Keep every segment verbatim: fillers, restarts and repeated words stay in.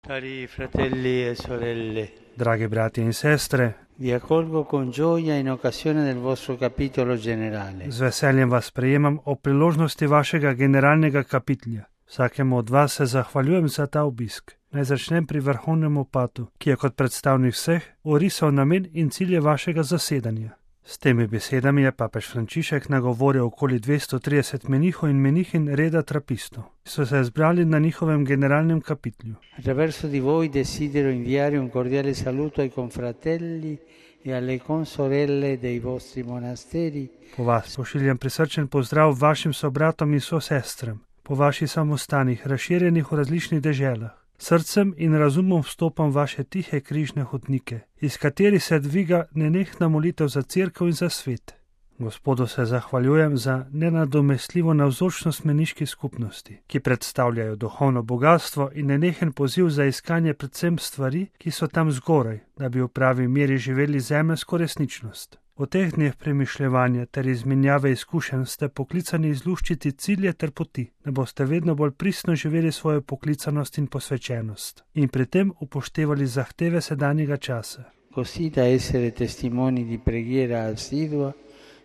Cari fratelli e sorelle, Dragi brati in sestre, vi accolgo con gioia in occasione del vostro capitolo generale. z veseljem vas sprejemam ob priložnosti vašega generalnega kapitlja. Vsakemu od vas se zahvaljujem za ta obisk. Naj začnem pri vrhovnem opatu, ki je kot predstavnik vseh orisal namen in cilje vašega zasedanja. S temi besedami je papež Frančišek nagovoril okoli dvesto trideset menihov in menihinj reda trapistov, ki so se zbrali na njihovem generalnem kapitlju. Attraverso di voi desidero inviare un cordiale saluto ai confratelli e alle consorelle dei vostri monasteri. Po vas pošiljam prisrčen pozdrav vašim sobratom in sosestram, po vaših samostanih, razširjenih v različnih deželah. Srcem in razumom vstopam vaše tihe križne hodnike, iz katerih se dviga nenehna molitev za cerkev in za svet. Gospodu se zahvaljujem za nenadomestljivo navzočnost meniških skupnosti, ki predstavljajo duhovno bogatstvo in nenehen poziv za iskanje predvsem stvari, ki so tam zgoraj, da bi v pravi meri živeli zemeljsko resničnost. V teh dneh premišljevanja ter izmenjave izkušenj ste poklicani izluščiti cilje ter poti, da boste vedno bolj pristno živeli svojo poklicanost in posvečenost in pri tem upoštevali zahteve sedanjega časa. Così da essere testimoni di preghiera assidua,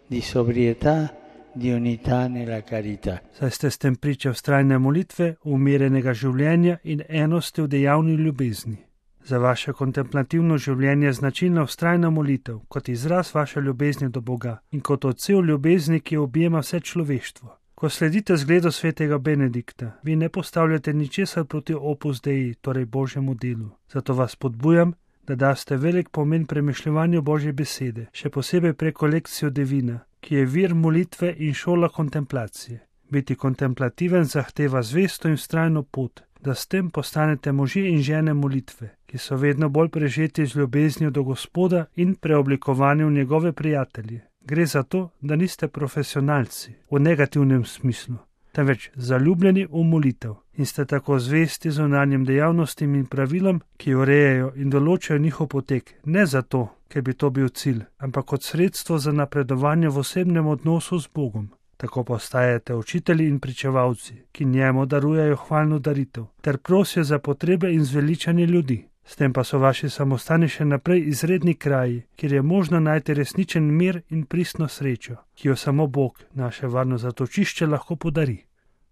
di sobrietà, di unità nella carità. Saj ste s tem priče vztrajne molitve, umirenega življenja in enosti v dejavni ljubezni. Za vaše kontemplativno življenje je značilna vztrajna molitev, kot izraz vaše ljubezni do Boga in kot odsev ljubezni, ki objema vse človeštvo. Ko sledite zgledu svetega Benedikta, vi ne postavljate ničesar proti opus dei, torej Božjemu delu. Zato vas podbujam, da daste velik pomen premišljevanju Božje besede, še posebej preko lekcijo Divina, ki je vir molitve in šola kontemplacije. Biti kontemplativen zahteva zvesto in vztrajno pot, da s tem postanete možje in žene molitve, ki so vedno bolj prežeti z ljubeznijo do Gospoda in preoblikovani v njegove prijatelje. Gre za to, da niste profesionalci v negativnem smislu, temveč zaljubljeni v molitev in ste tako zvesti zunanjim dejavnostim in pravilom, ki urejajo in določajo njihov potek, ne zato, ker bi to bil cilj, ampak kot sredstvo za napredovanje v osebnem odnosu z Bogom. Tako postajate učitelji in pričevalci, ki njemu darujejo hvalno daritev, ter prosijo za potrebe in zveličanje ljudi. S tem pa so vaši samostani še naprej izredni kraji, kjer je možno najti resničen mir in pristno srečo, ki jo samo Bog, naše varno zatočišče, lahko podari.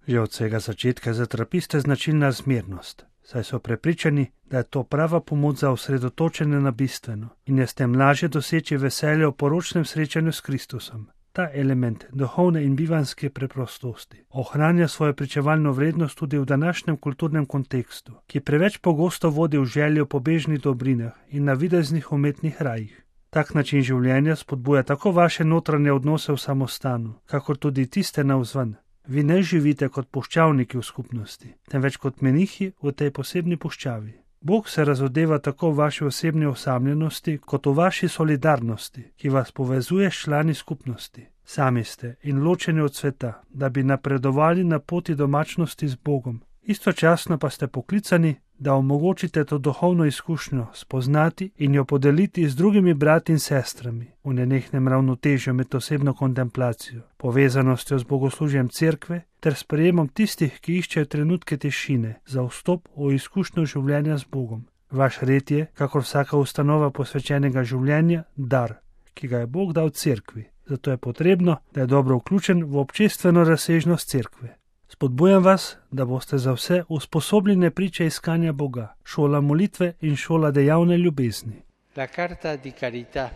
Že od vsega začetka za trapiste značilna zmernost, saj so prepričani, da je to prava pomoč za osredotočenje na bistveno in je s tem lažje doseči veselje v poročnem srečanju s Kristusom. Ta element duhovne in bivanske preprostosti ohranja svojo pričevalno vrednost tudi v današnjem kulturnem kontekstu, ki preveč pogosto vodi v željo po bežnih dobrinah in navideznih umetnih rajih. Tak način življenja spodbuja tako vaše notranje odnose v samostanu, kakor tudi tiste navzven. Vi ne živite kot puščavniki v skupnosti, temveč kot menihi v tej posebni puščavi. Bog se razodeva tako v vaši osebni osamljenosti, kot v vaši solidarnosti, ki vas povezuje s člani skupnosti. Sami ste in ločeni od sveta, da bi napredovali na poti domačnosti z Bogom. Istočasno pa ste poklicani, da omogočite to duhovno izkušnjo spoznati in jo podeliti z drugimi brati in sestrami v nenehnem ravnotežju med osebno kontemplacijo, povezanostjo z bogoslužjem cerkve ter sprejemom tistih, ki iščejo trenutke tišine za vstop v izkušnjo življenja z Bogom. Vaš red je, kakor vsaka ustanova posvečenega življenja, dar, ki ga je Bog dal cerkvi. Zato je potrebno, da je dobro vključen v občestveno razsežnost cerkve. Spodbujam vas, da boste za vse usposobljene priče iskanja Boga, šola molitve in šola dejavne ljubezni. La carta di carità,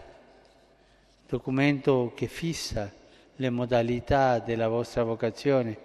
documento che fissa le modalità della vostra vocazione,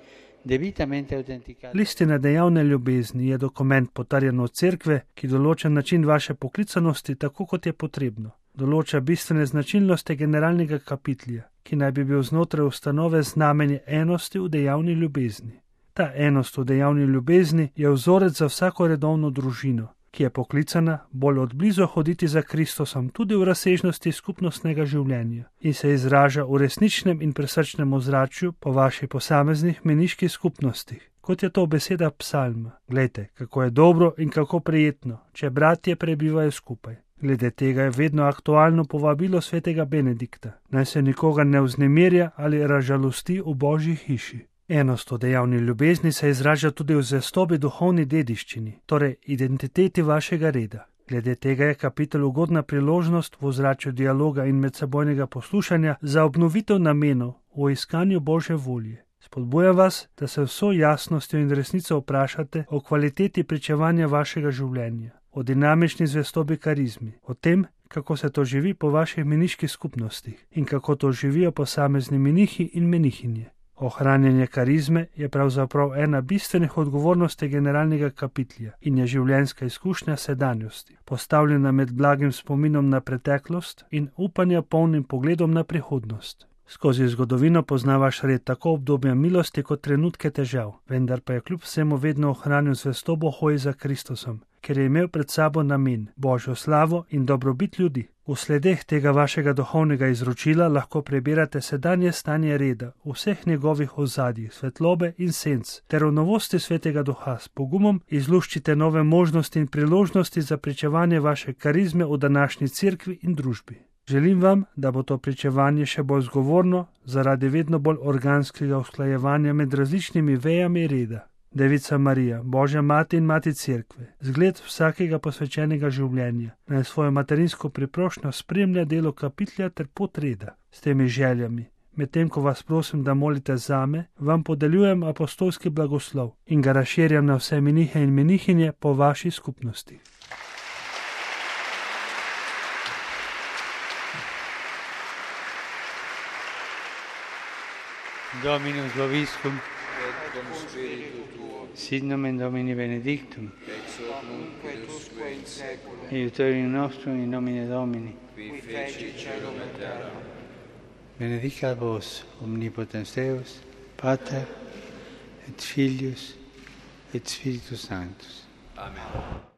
debitamente autenticata. Listina dejavne ljubezni je dokument potrjen od cerkve, ki določa način vaše poklicanosti tako, kot je potrebno. Določa bistvene značilnosti generalnega kapitlja, ki naj bi bil znotraj ustanove znamenje enosti v dejavni ljubezni. Ta enost v dejavni ljubezni je vzorec za vsako redovno družino, ki je poklicana bolj od blizu hoditi za Kristusom tudi v razsežnosti skupnostnega življenja in se izraža v resničnem in presrčnem ozračju po vaših posameznih meniških skupnostih, kot je to beseda psalma. Glejte, kako je dobro in kako prijetno, če bratje prebivajo skupaj. Glede tega je vedno aktualno povabilo svetega Benedikta, naj se nikoga ne vznemirja ali razžalosti v Božji hiši. Enost v dejavni ljubezni se izraža tudi v zvestobi duhovni dediščini, torej identiteti vašega reda. Glede tega je kapitel ugodna priložnost v ozračju dialoga in medsebojnega poslušanja za obnovitev namenov v iskanju Božje volje. Spodbujam vas, da se vso jasnostjo in resnico vprašate o kvaliteti pričevanja vašega življenja, o dinamični zvestobi karizmi, o tem, kako se to živi po vaših meniških skupnostih in kako to živijo posamezni menihi in menihinje. Ohranjanje karizme je pravzaprav ena bistvenih odgovornosti generalnega kapitlja in je življenjska izkušnja sedanjosti, postavljena med blagim spominom na preteklost in upanja polnim pogledom na prihodnost. Skozi zgodovino pozna vaš red tako obdobja milosti kot trenutke težav, vendar pa je kljub vsemu vedno ohranil zvestobo hoji za Kristusom, ker je imel pred sabo namen, Božjo slavo in dobrobit ljudi. V sledeh tega vašega duhovnega izročila lahko prebirate sedanje stanje reda v vseh njegovih ozadjih, svetlobe in senc, ter v novosti Svetega Duha s pogumom izluščite nove možnosti in priložnosti za pričevanje vaše karizme v današnji cerkvi in družbi. Želim vam, da bo to pričevanje še bolj zgovorno zaradi vedno bolj organskega usklajevanja med različnimi vejami reda. Devica Marija, Božja mati in mati cerkve, zgled vsakega posvečenega življenja, naj svojo materinsko priprošnjo spremlja delo kapitlja ter pot reda. S temi željami, medtem ko vas prosim, da molite zame, vam podeljujem apostolski blagoslov in ga razširjam na vse menihe in menihinje po vaši skupnosti. Dominus vobiscum, sit nomen Domini benedictum, ex hoc nunc et usque in saeculum, aiutorium nostrum in nomine Domini, qui feci caelum et terra. benedicat vos omnipotens Deus, Pater et Filius et Spiritus Sanctus. Amen.